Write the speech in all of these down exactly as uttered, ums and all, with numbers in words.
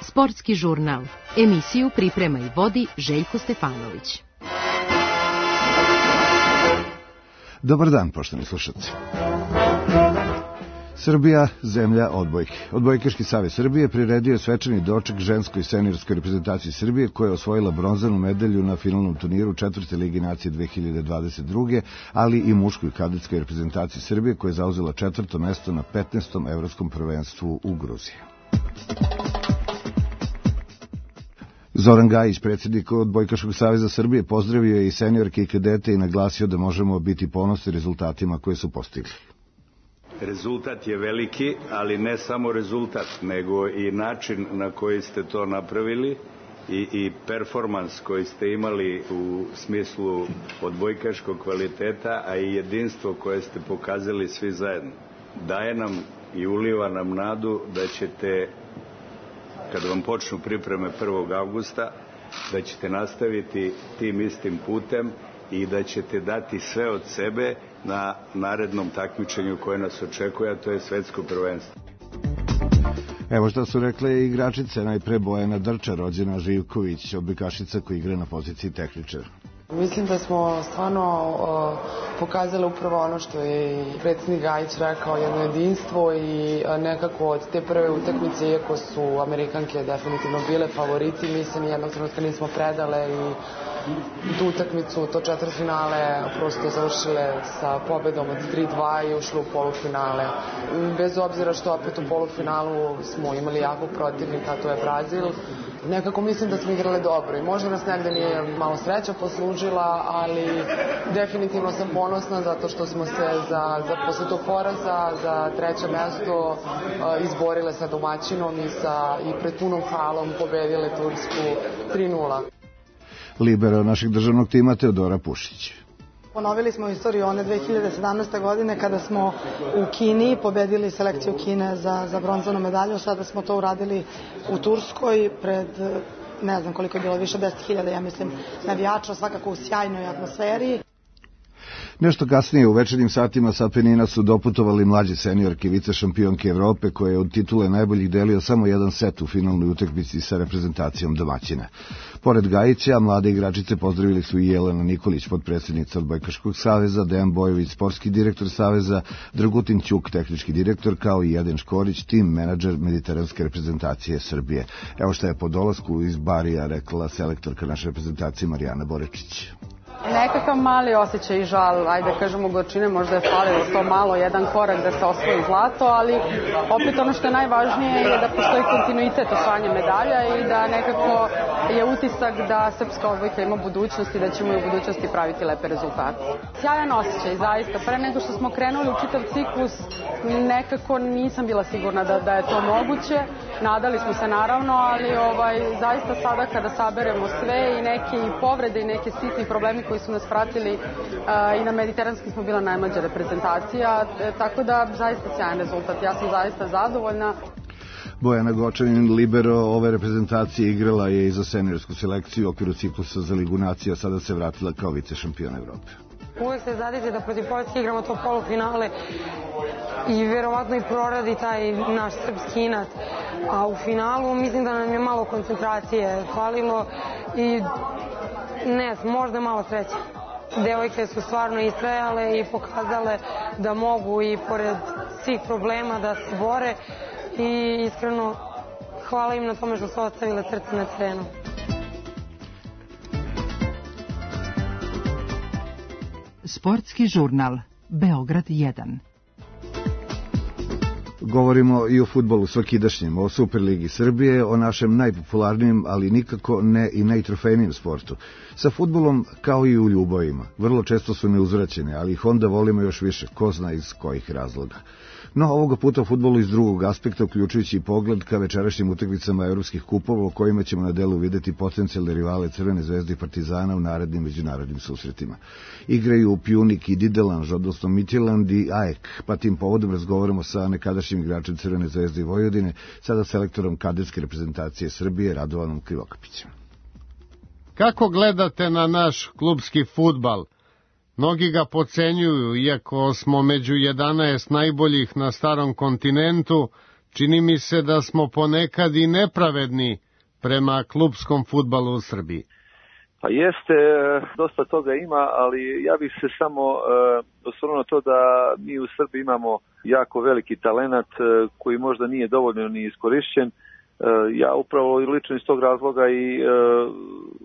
Sportski žurnal. Emisiju priprema i vodi Željko Stefanović. Dobar dan, poštovani slušalci. Srbija, zemlja odbojke. Odbojkaški savez Srbije priredio je svečani doček ženskoj i seniorskoj reprezentaciji Srbije koja je osvojila bronzanu medalju na finalnom turniru četvrte Lige nacije dve hiljade dvadeset druge. ali i muškoj kadetskoj reprezentaciji Srbije koja je zauzela četvrto mesto na petnaestom evropskom prvenstvu u Gruziji. Zoran Gajić, predsjednik Odbojkaškog saveza Srbije, pozdravio je i seniorke i kadete i naglasio da možemo biti ponosni rezultatima koje su postigli. Rezultat je veliki, ali ne samo rezultat, nego i način na koji ste to napravili i, i performans koji ste imali u smislu odbojkaškog kvaliteta, a i jedinstvo koje ste pokazali svi zajedno. Daje nam i uliva nam nadu da ćete, kada vam počnu pripreme prvog avgusta, da ćete nastaviti tim istim putem i da ćete dati sve od sebe na narednom takmičenju koje nas očekuje, a to je svetsko prvenstvo. Evo šta su rekle igračice, najpre Bojana Drča, rođena Živković, odbojkašica koja igra na poziciji tehničara. Mislim da smo stvarno uh, pokazali upravo ono što je i predsjednik Gajić rekao, jedno jedinstvo i uh, nekako od te prve utakmice, iako su Amerikanke definitivno bile favoriti, mi se nijednog trenutka nismo predale i tu utakmicu, to četvrtfinale prosto završile sa pobedom od tri dva i ušle u polufinale. Bez obzira što opet u polufinalu smo imali jakog protivnika, to je Brazil. Nekako mislim da smo igrali dobro i možda nas negde nije malo sreća poslužila, ali definitivno sam ponosna zato što smo se za, za posle tog poraza za treće mesto uh, izborile sa domaćinom i, sa, i pred punom halom pobedile Tursku tri nula. Libero našeg državnog tima Teodora Pušić. Ponovili smo istoriju one dve hiljade sedamnaeste. godine kada smo u Kini pobedili selekciju Kine za, za bronzanu medalju. Sada smo to uradili u Turskoj pred, ne znam koliko je bilo, više deset hiljada, ja mislim, navijača, svakako u sjajnoj atmosferi. Nešto kasnije u večernjim satima sa Apenina su doputovali mlađe seniorke vice šampionke Evrope koje je od titule najboljih delio samo jedan set u finalnoj utakmici sa reprezentacijom domaćina. Pored Gajića, mlade igračice pozdravili su i Jelena Nikolić, potpredsjednica Odbojkaškog saveza, Dejan Bojović, sportski direktor saveza, Dragutin Ćuk, tehnički direktor, kao i Jedan Škorić, tim menadžer mediteranske reprezentacije Srbije. Evo šta je po dolasku iz Barija rekla selektorka naše reprezentacije Marijana Borečić. Nekakav mali osjećaj i žal, ajde kažemo gorčine, možda je falilo to malo, jedan korak da se osvoji zlato, ali opet ono što je najvažnije je da postoji kontinuitet osvajanja medalja i da nekako je utisak da srpska odbojka ima budućnost i da ćemo i u budućnosti praviti lepe rezultate. Sjajan osjećaj, zaista. Pre nego što smo krenuli u čitav ciklus, nekako nisam bila sigurna da, da je to moguće. Nadali smo se naravno, ali ovaj, zaista sada kada saberemo sve i neke i povrede i neke sitni problemi koji su nas pratili uh, i na mediteranskim smo bila najmlađa reprezentacija, tako da zaista sjajan rezultat. Ja sam zaista zadovoljna. Bojana Gočanin, libero ove reprezentacije, igrala je i za seniorsku selekciju u okviru ciklusa za Ligu nacija, sada se vratila kao vice šampion Evrope. Uvek se zadite da protiv Poljske igramo to polufinale i verovatno i proradi taj naš srpski inat. A u finalu mislim da nam je malo koncentracije falilo i ne, možda malo sreće. Devojke su stvarno istrajale i pokazale da mogu i pored svih problema da se bore i iskreno hvala im na tome što su ostavile srce na terenu. Sportski žurnal Beograd jedan. Govorimo i o fudbalu svakidašnjem, o Superligi Srbije, o našem najpopularnijem, ali nikako ne i najtrofejnijem sportu. Sa fudbalom, kao i u ljubavima, vrlo često su neuzvraćene, ali ih onda volimo još više, ko zna iz kojih razloga. No, ovoga puta u fudbalu iz drugog aspekta, uključujući i pogled ka večerašnjim utakmicama evropskih kupova, u kojima ćemo na delu videti potencijalne rivale Crvene zvezde i Partizana u narednim međunarodnim susretima. Igraju Pjunik i Didelanž, odnosno Midtjylland i A E K, pa tim povodom razgovaramo sa nekadašnjim igračem Crvene zvezde i Vojvodine, sada selektorom kadetske reprezentacije Srbije, Radovanom Krivokapićem. Kako gledate na naš klubski fudbal? Mnogi ga podcenjuju, iako smo među jedanaest najboljih na starom kontinentu, čini mi se da smo ponekad i nepravedni prema klupskom fudbalu u Srbiji. Pa jeste, dosta toga ima, ali ja bih se samo e, osvrnuo na to da mi u Srbiji imamo jako veliki talenat e, koji možda nije dovoljno ni iskorišćen. E, ja upravo lično iz tog razloga i e,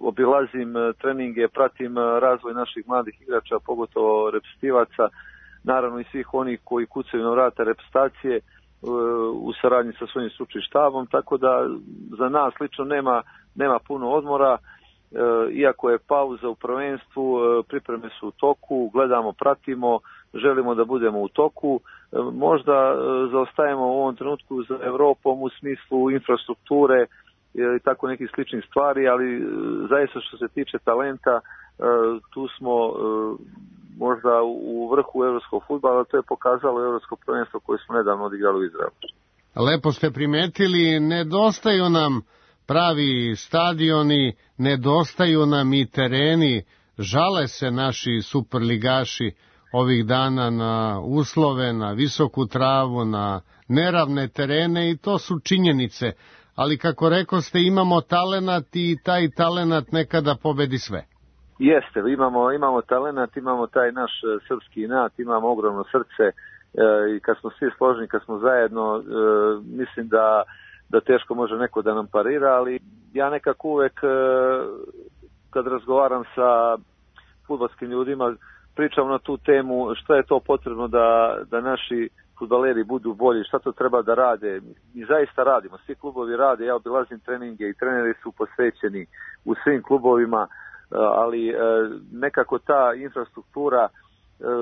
obilazim treninge, pratim razvoj naših mladih igrača, pogotovo reprezentativaca, naravno i svih onih koji kucaju na vrata reprezentacije e, u saradnji sa svojim stručnim štabom, tako da za nas lično nema, nema puno odmora. Iako je pauza u prvenstvu, pripreme su u toku, gledamo, pratimo, želimo da budemo u toku. Možda zaostajemo u ovom trenutku za Evropom u smislu infrastrukture i tako nekih sličnih stvari, ali zaista što se tiče talenta, tu smo možda u vrhu evropskog fudbala, to je pokazalo evropsko prvenstvo koje smo nedavno odigrali u Izraelu. Lepo ste primetili, nedostaju nam pravi stadioni, nedostaju nam i tereni, žale se naši superligaši ovih dana na uslove, na visoku travu, na neravne terene i to su činjenice, ali kako rekoste imamo talenat i taj talenat nekada pobedi sve. Jeste, imamo, imamo talenat, imamo taj naš srpski inat, imamo ogromno srce e, i kad smo svi složni, kad smo zajedno, e, mislim da da teško može neko da nam parira, ali ja nekako uvek kad razgovaram sa fudbalskim ljudima pričam na tu temu šta je to potrebno da, da naši fudbaleri budu bolji, šta to treba da rade. Mi zaista radimo, svi klubovi rade, ja obilazim treninge i treneri su posvećeni u svim klubovima, ali nekako ta infrastruktura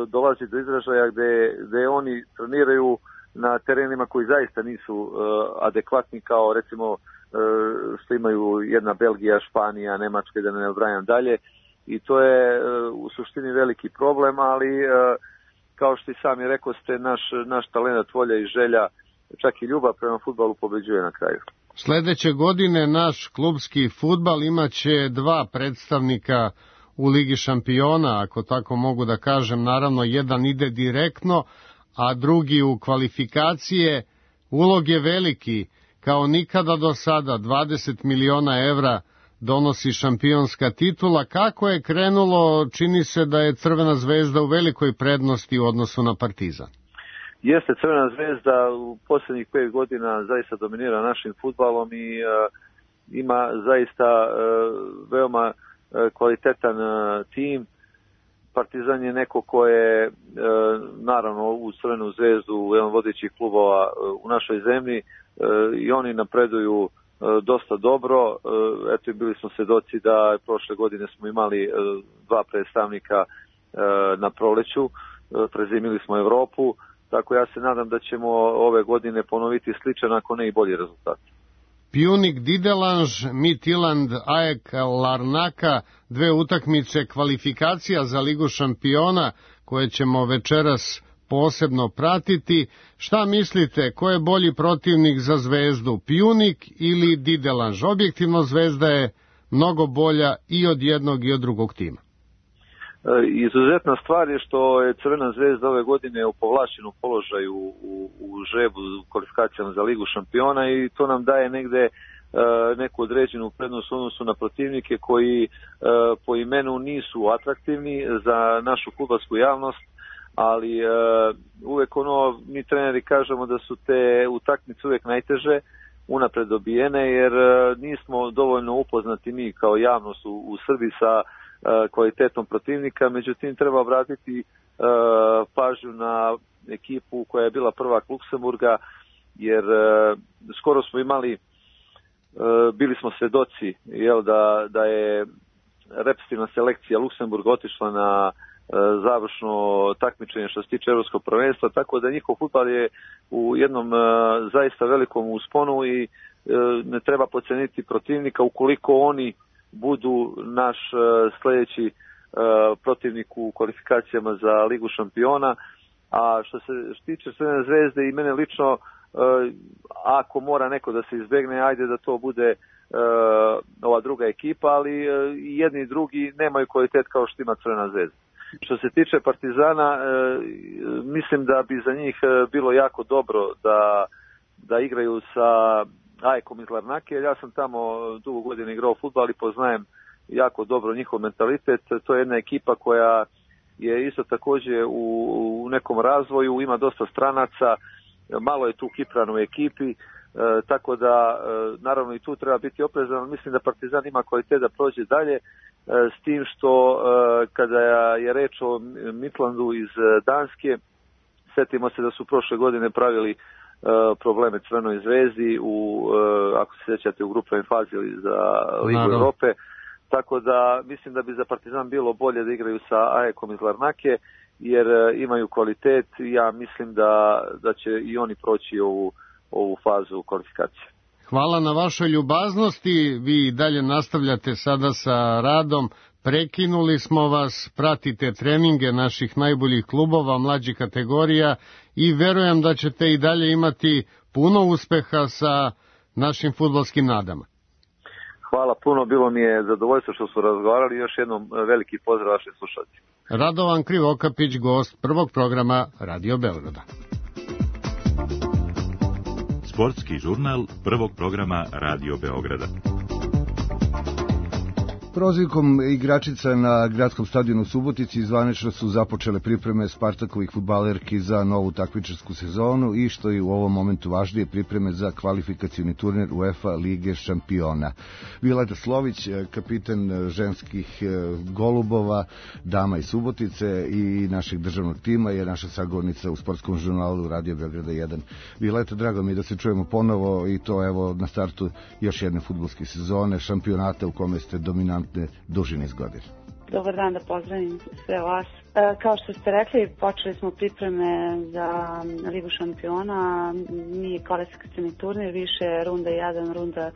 dolazi do izražaja gde, gde oni treniraju na terenima koji zaista nisu uh, adekvatni kao recimo uh, što imaju jedna Belgija, Španija, Nemačka, da ne nabrajam dalje i to je uh, u suštini veliki problem, ali uh, kao što i sami rekao ste, naš, naš talent, volja i želja, čak i ljubav prema fudbalu pobeđuje na kraju. Sledeće godine naš klubski fudbal imaće dva predstavnika u Ligi šampiona, ako tako mogu da kažem, naravno jedan ide direktno, a drugi u kvalifikacije. Ulog je veliki, kao nikada do sada, dvadeset miliona evra donosi šampionska titula. Kako je krenulo, čini se da je Crvena zvezda u velikoj prednosti u odnosu na Partizan. Jeste, Crvena zvezda u posljednjih pet godina zaista dominira našim fudbalom i uh, ima zaista uh, veoma uh, kvalitetan uh, tim. Partizan je neko ko je, e, naravno, u Crvenu zvezdu, jedan vodećih klubova e, u našoj zemlji e, i oni napreduju e, dosta dobro. E, eto i bili smo svedoci da prošle godine smo imali e, dva predstavnika e, na proleću, e, prezimili smo Evropu, tako ja se nadam da ćemo ove godine ponoviti sličan, ako ne i bolji rezultat. Pjunik Didelanž, Midtjylland, A E K Larnaka, dve utakmice kvalifikacija za Ligu šampiona koje ćemo večeras posebno pratiti. Šta mislite, ko je bolji protivnik za Zvezdu, Pjunik ili Didelanž? Objektivno Zvezda je mnogo bolja i od jednog i od drugog tima. Izuzetna stvar je što je Crvena zvezda ove godine u povlašćenom položaju u, u žrebu u kvalifikacijama za Ligu šampiona i to nam daje negde e, neku određenu prednost u odnosu na protivnike koji e, po imenu nisu atraktivni za našu fudbalsku javnost, ali e, uvek ono, mi treneri kažemo da su te utakmice uvek najteže unapred dobijene, jer e, nismo dovoljno upoznati mi kao javnost u, u Srbiji sa kvalitetom protivnika, međutim treba obratiti uh, pažnju na ekipu koja je bila prvak Luksemburga, jer uh, skoro smo imali, uh, bili smo svedoci, jel, da, da je reprezentativna selekcija Luksemburga otišla na uh, završno takmičenje što se tiče evropskog prvenstva, tako da njihov fudbal je u jednom uh, zaista velikom usponu i uh, ne treba podceniti protivnika ukoliko oni budu naš uh, sljedeći uh, protivnik u kvalifikacijama za Ligu šampiona. A što se tiče Crvene zvezde i mene lično, uh, ako mora neko da se izbegne, ajde da to bude uh, ova druga ekipa, ali uh, i jedni i drugi nemaju kvalitet kao što ima Crvena zvezda. Što se tiče Partizana, mislim da bi za njih bilo jako dobro da, da igraju sa A E K-om iz Larnake. Ja sam tamo dugo godina igrao fudbal i poznajem jako dobro njihov mentalitet. To je jedna ekipa koja je isto također u, u nekom razvoju, ima dosta stranaca, malo je tu Kiprana u ekipi, e, tako da e, naravno i tu treba biti oprezan. Mislim da Partizan ima kvalitet da prođe dalje, e, s tim što e, kada je reč o Midlandu iz Danske, setimo se da su prošle godine pravili e, probleme Crvenoj zvezdi u, e, ako se sjećate, u grupnoj fazi za Ligu Europe. Tako da mislim da bi za Partizan bilo bolje da igraju sa A E K-om iz Larnake, jer imaju kvalitet i ja mislim da, da će i oni proći ovu, ovu fazu kvalifikacije. Hvala na vašoj ljubaznosti, vi dalje nastavljate sada sa radom, prekinuli smo vas, pratite treninge naših najboljih klubova, mlađih kategorija i verujem da ćete i dalje imati puno uspeha sa našim fudbalskim nadama. Hvala puno, bilo mi je zadovoljstvo što su razgovarali, još jednom veliki pozdrav vašim slušateljima. Radovan Krivokapić, gost prvog programa Radio Beograda. Sportski žurnal prvog programa Radio Beograda. Prozivkom igračica na gradskom stadionu u Subotici zvanično su započele pripreme Spartakovih fudbalerki za novu takmičarsku sezonu i što je u ovom momentu važnije, pripreme za kvalifikacioni turnir UEFA Lige šampiona. Violeta Slović, kapitan ženskih golubova, dama iz Subotice i našeg državnog tima, je naša sagovornica u sportskom žurnalu Radio Beograda jedan. Violeta, drago mi je da se čujemo ponovo i to evo na startu još jedne fudbalske sezone, šampionata u kome ste dominantni duži niz godina. Dobar dan, da pozdravim sve vas. E, kao što ste rekli, počeli smo pripreme za Ligu šampiona, nije kvalifikacioni turnir, više runda jedan, runda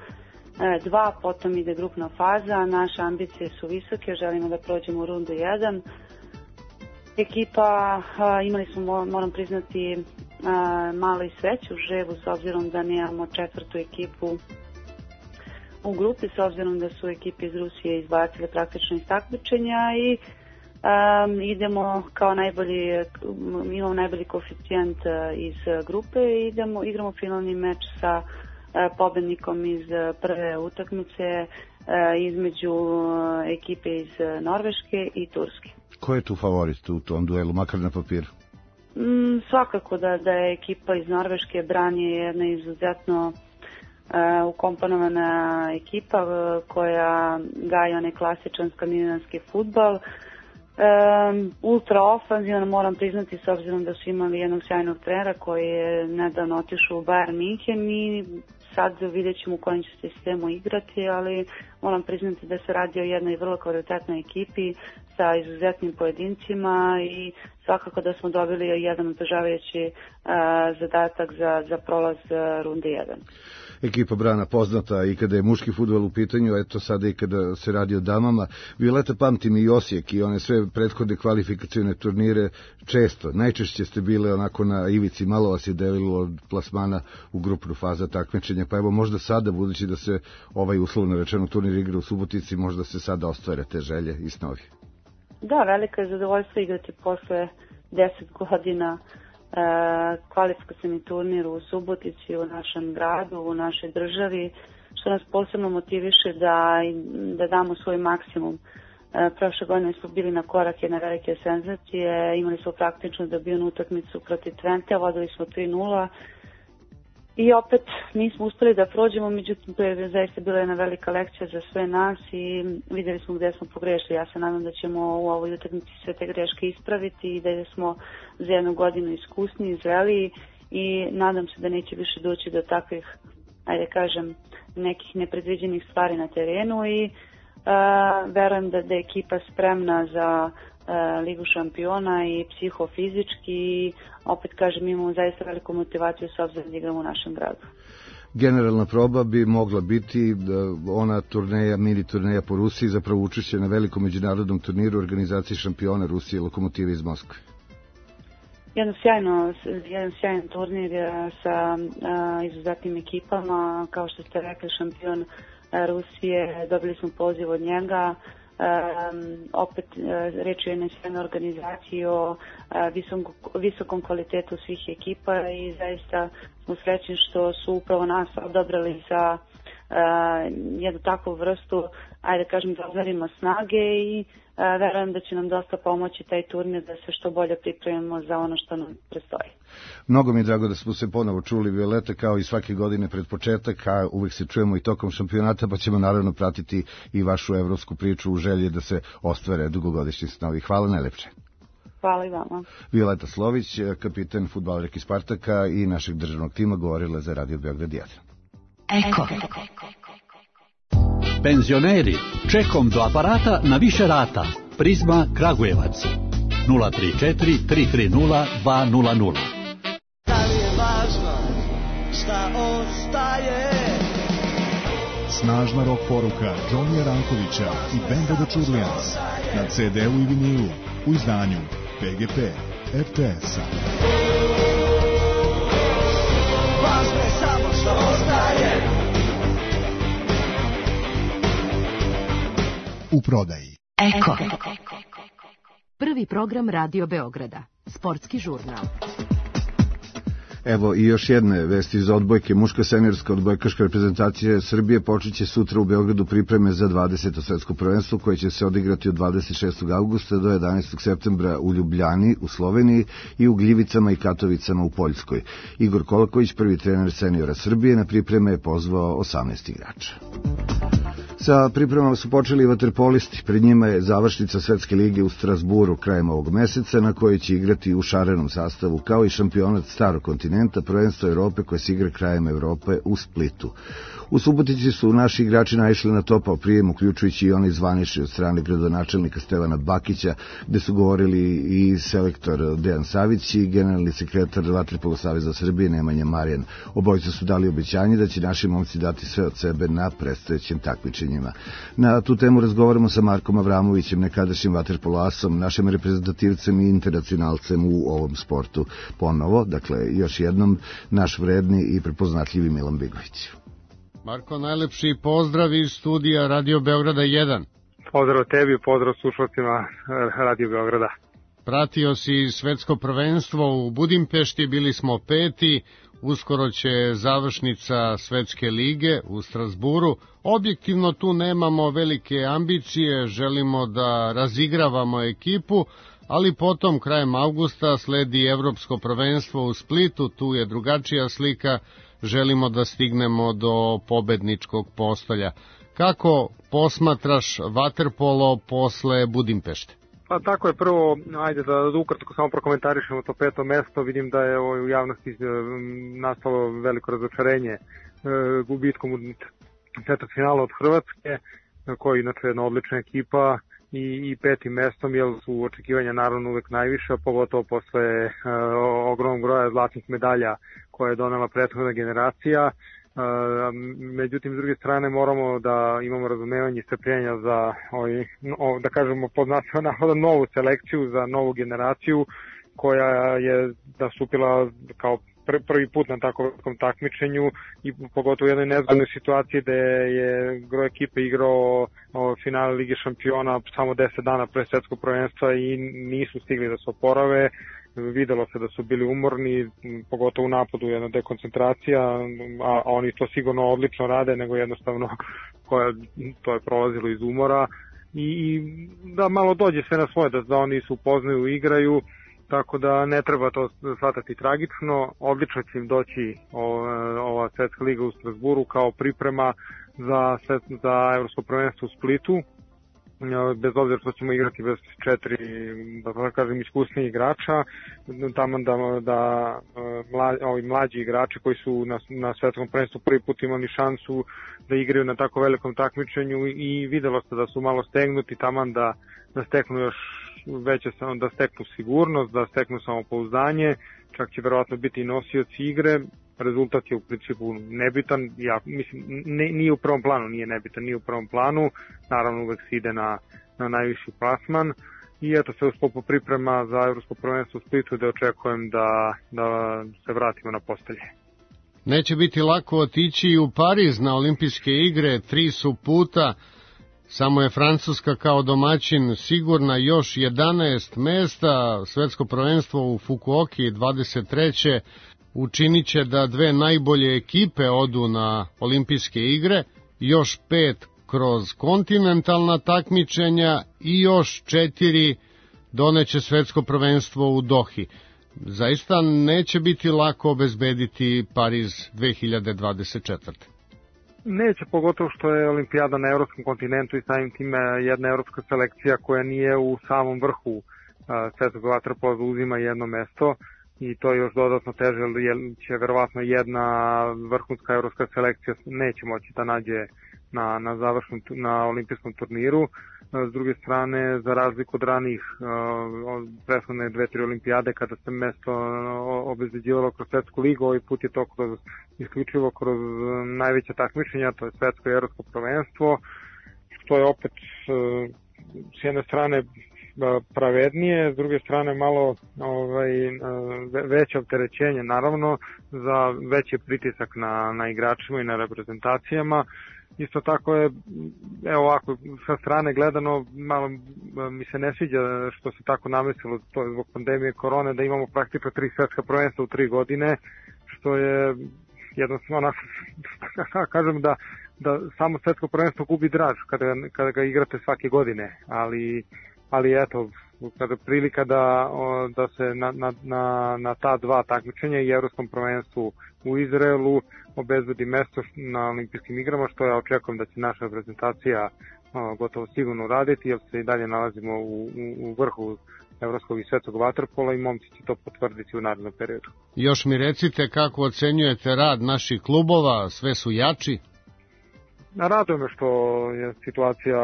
dva, potom ide grupna faza. Naše ambicije su visoke, želimo da prođemo u rundu jedan. Ekipa, a, imali smo, moram priznati, a, malo i sreću u žrebu, s obzirom da nemamo četvrtu ekipu u grupi, s obzirom da su ekipe iz Rusije izbacile praktično iz takmičenja i um, idemo kao najbolji, imamo najbolji koeficijent iz grupe i idemo, igramo finalni meč sa uh, pobednikom iz prve utakmice uh, između ekipe iz Norveške i Turske. Ko je tu favorit u tom duelu, makar na papiru? Mm, svakako da, da je ekipa iz Norveške, Bran je jedna izuzetno Uh, ukomponovana ekipa uh, koja gaja onaj klasičan skandinavski fudbal. Um, ultra ofanzivan, moram priznati, s obzirom da su imali jednog sjajnog trenera koji je nedavno otišao u Bayern München i sad vidjet ćemo u kojem će sistemu igrati, ali moram priznati da se radi o jednoj vrlo kvalitetnoj ekipi sa izuzetnim pojedincima i svakako da smo dobili jedan otežavajući uh, zadatak za, za prolaz uh, runde jedan. Ekipa Brana poznata i kada je muški fudbal u pitanju, eto sada i kada se radi o damama. Violeta, pamtim i Osijek i one sve prethodne kvalifikacione turnire često, najčešće ste bile onako na ivici, malo vas je delilo od plasmana u grupnu fazu takmičenja, pa evo možda sada, budući da se ovaj uslovno rečeno turnir igra u Subotici, možda se sada ostvare te želje i snovi. Da, velika je zadovoljstvo igrati posle deset godina Uh, kvalifikacioni turnir u Subotici, u našem gradu, u našoj državi, što nas posebno motiviše da, da damo svoj maksimum. Uh, prošle godine smo bili na korak jedne velike senzacije, imali smo praktično dobijenu utakmicu protiv Twente, vodili smo tri nula i opet nismo uspeli da prođemo, međutim to je zaista bila jedna velika lekcija za sve nas i vidjeli smo gdje smo pogrešili. Ja se nadam da ćemo u ovoj utakmici sve te greške ispraviti i da smo za jednu godinu iskusni, zreli i nadam se da neće više doći do takvih, ajde kažem, nekih nepredviđenih stvari na terenu i uh, verujem da, da je ekipa spremna za Ligu šampiona i psihofizički i opet kažem imamo zaista veliku motivaciju s obzirom da igramo u našem gradu. Generalna proba bi mogla biti ona turneja, mini turneja po Rusiji, zapravo učešće na velikom međunarodnom turniru organizacije šampiona Rusije Lokomotive iz Moskve. Jedno sjajno, jedan sjajan turnir sa a, izuzetnim ekipama, kao što ste rekli, šampion Rusije, dobili smo poziv od njega. opet reč je o jednoj sjajnoj organizaciji, o visokom, visokom kvalitetu svih ekipa i zaista smo srećni što su upravo nas odabrali za jednu takvu vrstu, ajde kažem, da odmerimo snage i verujem da će nam dosta pomoći taj turnir da se što bolje pripremimo za ono što nam prestoji. Mnogo mi je drago da smo se ponovo čuli, Violeta, kao i svake godine pred početak, a uvek se čujemo i tokom šampionata, pa ćemo naravno pratiti i vašu evropsku priču u želji da se ostvare dugogodišnji snovi. Hvala najlepše. Hvala i vama. Violeta Slović, kapiten fudbalerki Spartaka i našeg državnog tima, govorila za Radio Beograd jedan. Eko. Penzioneri, čekom do aparata na više rata. Prizma Kragujevac. nula tri četiri tri tri nula dva nula nula. Da li je važno šta ostaje? Snažna rock poruka Johnnyja Rankovića i Benda The Churlians na ce de u i vinilu u izdanju pe ge pe er te es-a. Važno je samo što ostaje. U prodaji. Eko. Prvi program Radio Beograda. Sportski žurnal. Evo i još jedne vesti iz odbojke. Muška seniorska odbojkaška reprezentacija Srbije počeće sutra u Beogradu pripreme za dvadeseto svetsko prvenstvo koje će se odigrati od dvadeset šestog avgusta do jedanaestog septembra u Ljubljani u Sloveniji i u Gljivicama i Katovicama u Poljskoj. Igor Kolaković, prvi trener seniora Srbije, na pripreme je pozvao osamnaest igrača. Sa pripremama su počeli i vaterpolisti. Pred njima je završnica Svetske lige u Strasburu krajem ovog meseca, na kojoj će igrati u šarenom sastavu, kao i šampionat starog kontinenta, prvenstvo Evrope koje se igra krajem Evrope u Splitu. U Subotici su naši igrači naišli na topao prijem, uključujući i onaj zvanični od strane gradonačelnika Stevana Bakića, gde su govorili i selektor Dejan Savić i generalni sekretar Vaterpolo saveza Srbije Nemanja Marijan. Obojica su dali obećanje da će naši momci dati sve od sebe na predstojećem takmičenjima. Na tu temu razgovaramo sa Markom Avramovićem, nekadašnjim vaterpolo asom, našim reprezentativcem i internacionalcem u ovom sportu. Ponovo, dakle, još jednom, naš vredni i prepoznatljivi Milan Bigović. Marko, najlepši pozdrav iz studija Radio Beograda jedan. Pozdrav tebi, pozdrav slušalcima Radio Beograda. Pratio si svetsko prvenstvo u Budimpešti, bili smo peti, uskoro će završnica Svetske lige u Strasburu. Objektivno tu nemamo velike ambicije, želimo da razigravamo ekipu, ali potom krajem avgusta sledi Evropsko prvenstvo u Splitu, tu je drugačija slika, želimo da stignemo do pobedničkog postolja. Kako posmatraš vaterpolo posle Budimpešte? Pa tako je, prvo, ajde da ukratko samo prokomentarišemo to peto mesto. Vidim da je u javnosti nastalo veliko razočarenje gubitkom u četvrtfinalu od Hrvatske, koja je inače jedna odlična ekipa, i, i petim mestom, jer su očekivanja naravno uvek najviša, pogotovo posle uh, ogromnog broja zlatnih medalja koje je donela prethodna generacija. Uh, međutim, s druge strane, moramo da imamo razumevanje i strpljenja za, ovaj, no, da kažemo, pod navodom novu selekciju, za novu generaciju koja je nastupila kao prvi put na takvom takmičenju i pogotovo u jednoj nezgodnoj situaciji gde je gro ekipe igrao finale Lige šampiona samo deset dana pre svetskog prvenstva i nisu stigli da se oporave. Videlo se da su bili umorni, pogotovo u napadu, jedna dekoncentracija, a oni to sigurno odlično rade, nego jednostavno koja, to je prolazilo iz umora i da malo dođe sve na svoje, da, da oni se upoznaju, igraju. Tako da ne treba to shvatati tragično. Odlično će im doći ova Svetska liga u Strasburu kao priprema za, za Evropsko prvenstvo u Splitu. Bez obzira što ćemo igrati bez četiri, da kažem, iskusnijih igrača, tamo da, da mla, ovi mlađi igrači koji su na, na svetskom prvenstvu prvi put imali šansu da igraju na tako velikom takmičenju i videlo se da su malo stegnuti, tamo da, da steknu još veće, da steknu sigurnost, da steknu samopouzdanje, čak će verovatno biti i nosioci igre. Rezultat je u principu nebitan, ja mislim, ne, nije u prvom planu, nije nebitan, nije u prvom planu, naravno uvek se ide na, na najviši plasman i eto se u sklopu priprema za Evropsko prvenstvo u Splitu da očekujem da, da se vratimo na postelje. Neće biti lako otići u Pariz na olimpijske igre, tri su puta. Samo je Francuska kao domaćin sigurna još jedanaest mesta. Svetsko prvenstvo u Fukuoki dvadeset treće učinit će da dve najbolje ekipe odu na olimpijske igre, još pet kroz kontinentalna takmičenja i još četiri doneće svetsko prvenstvo u Dohi. Zaista neće biti lako obezbediti Pariz dve hiljade dvadeset četvrte. Neće, pogotovo što je olimpijada na evropskom kontinentu i samim time jedna evropska selekcija koja nije u samom vrhu svetskog vaterpola uzima jedno mesto i to je još dodatno teže, jer će verovatno jedna vrhunska evropska selekcija neće moći da nađe na, na završnom, na olimpijskom turniru. S druge strane, za razliku od ranih prethodne dve, tri olimpijade kada se mesto obezbeđivalo kroz svetsku ligu, ovaj put je to kroz, isključivo kroz najveće takmičenja, to je svetsko i evropsko prvenstvo, što je opet s jedne strane pravednije, s druge strane malo ovaj, veće opterećenje, naravno, za veći pritisak na, na igračima i na reprezentacijama. Isto tako je, evo ovako, sa strane gledano, malo mi se ne sviđa što se tako namestilo, to je zbog pandemije korone, da imamo praktično tri svetska prvenstva u tri godine, što je jednostavno, kažem da, da samo svetsko prvenstvo gubi draž kada, kada ga igrate svake godine, ali, ali eto, kada prilika da, da se na, na, na, na ta dva takmičenja i evropskom prvenstvu u Izraelu obezbedi mesto na olimpijskim igrama, što ja očekujem da će naša reprezentacija o, gotovo sigurno raditi, jer se i dalje nalazimo u, u, u vrhu evropskog i svetskog vaterpola i momci će to potvrditi u narednom periodu. Još mi recite kako ocenjujete rad naših klubova, sve su jači? Raduje me što je situacija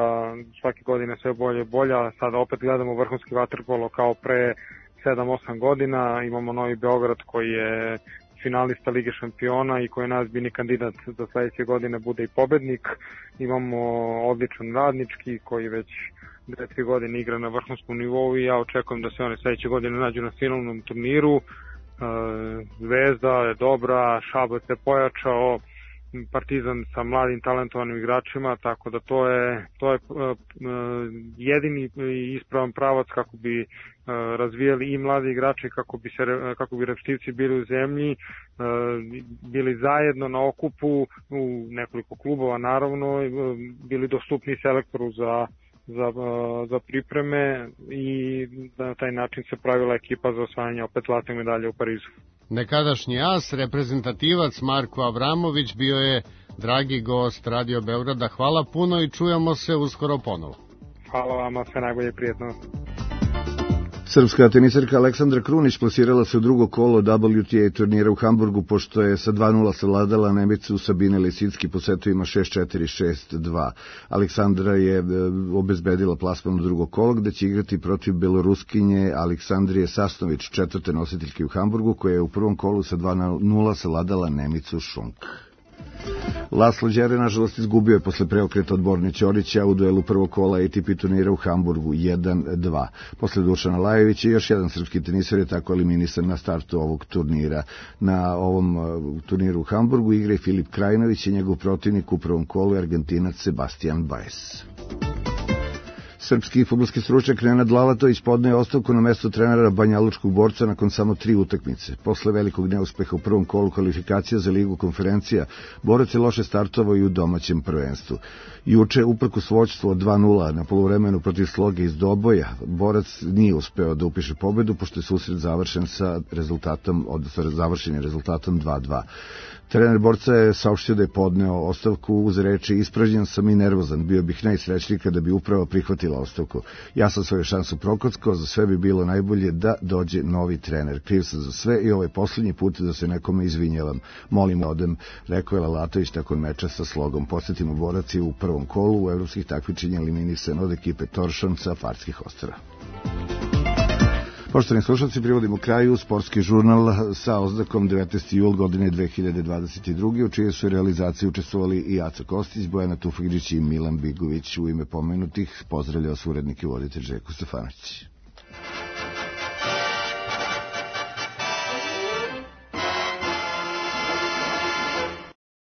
svake godine sve bolje i bolja, sada opet gledamo vrhunski vaterpolo kao pre sedam osam godina, imamo Novi Beograd koji je finalista Lige šampiona i koji je najozbiljniji kandidat da sledeće godine bude i pobednik. Imamo odličan Radnički koji već dve tri godine igra na vrhunskom nivou i ja očekujem da se oni sledeće godine nađu na finalnom turniru. Zvezda je dobra, Šabac je pojačao, Partizan sa mladim talentovanim igračima, tako da to je, to je jedini ispravan pravac kako bi razvijali i mladi igrači, kako bi, se, kako bi repštivci bili u zemlji, bili zajedno na okupu u nekoliko klubova, naravno, bili dostupni selektoru za, za, za pripreme i na taj način se pravila ekipa za osvajanje opet zlatne medalje u Parizu. Nekadašnji as, reprezentativac Marko Avramović bio je dragi gost Radio Beograda. Hvala puno i čujemo se uskoro ponovo. Hvala vama, sve najbolje, prijetno. Srpska tenisarka Aleksandra Krunić plasirala se u drugo kolo W T A turnira u Hamburgu, pošto je sa dva nula savladala Nemicu Sabine Lisicki po setovima šest četiri šest dva. Aleksandra je obezbedila plasman u drugo kolo, gde će igrati protiv Beloruskinje Aleksandrije Sasnović, četvrte nositeljke u Hamburgu, koja je u prvom kolu sa dva nula savladala Nemicu Šunk. Laslo Đere, nažalost, izgubio je posle preokreta od Borne Ćorića u duelu prvog kola A T P turnira u Hamburgu jedan dva. Posle Dušana Lajevića još jedan srpski tenisar je tako eliminisan na startu ovog turnira. Na ovom turniru u Hamburgu igra i Filip Krajinović i njegov protivnik u prvom kolu je Argentinac Sebastian Baez. Srpski fudbalski stručnjak Nenad Lalatović podneo je ostavku na mesto trenera banjalučkog Borca nakon samo tri utakmice. Posle velikog neuspeha u prvom kolu kvalifikacija za Ligu konferencija, Borac je loše startovao i u domaćem prvenstvu. Juče, uprkos vođstvu od dva nula na poluvremenu protiv Sloge iz Doboja, Borac nije uspeo da upiše pobedu, pošto je susret završen sa rezultatom, odnosno završen je rezultatom dva dva. Trener Borca je saopštio da je podneo ostavku uz reči: ispražnjen sam i nervozan, bio bih najsrećniji kada bi uprava prihvatila ostavku. Ja sam svoju šansu prokockao, za sve bi bilo najbolje da dođe novi trener. Kriv sam za sve i ovaj posljednji put da se nekome izvinjavam. Molim odem, rekao je Lalatović nakon meča sa Slogom. Posjetimo, Borac je u prvom kolu u evropskih takmičenja eliminisan od ekipe Toršon sa Farskih Ostrva. Poštovani slušalci, privodimo kraju sportski žurnal sa oznakom devetnaesti jul godine dve hiljade dvadeset druge. u čijoj su realizaciji učestvovali i Aco Kostić, Bojana Tufegđić i Milan Bigović. U ime pomenutih pozdravljao urednik i voditelj Željko Stefanović.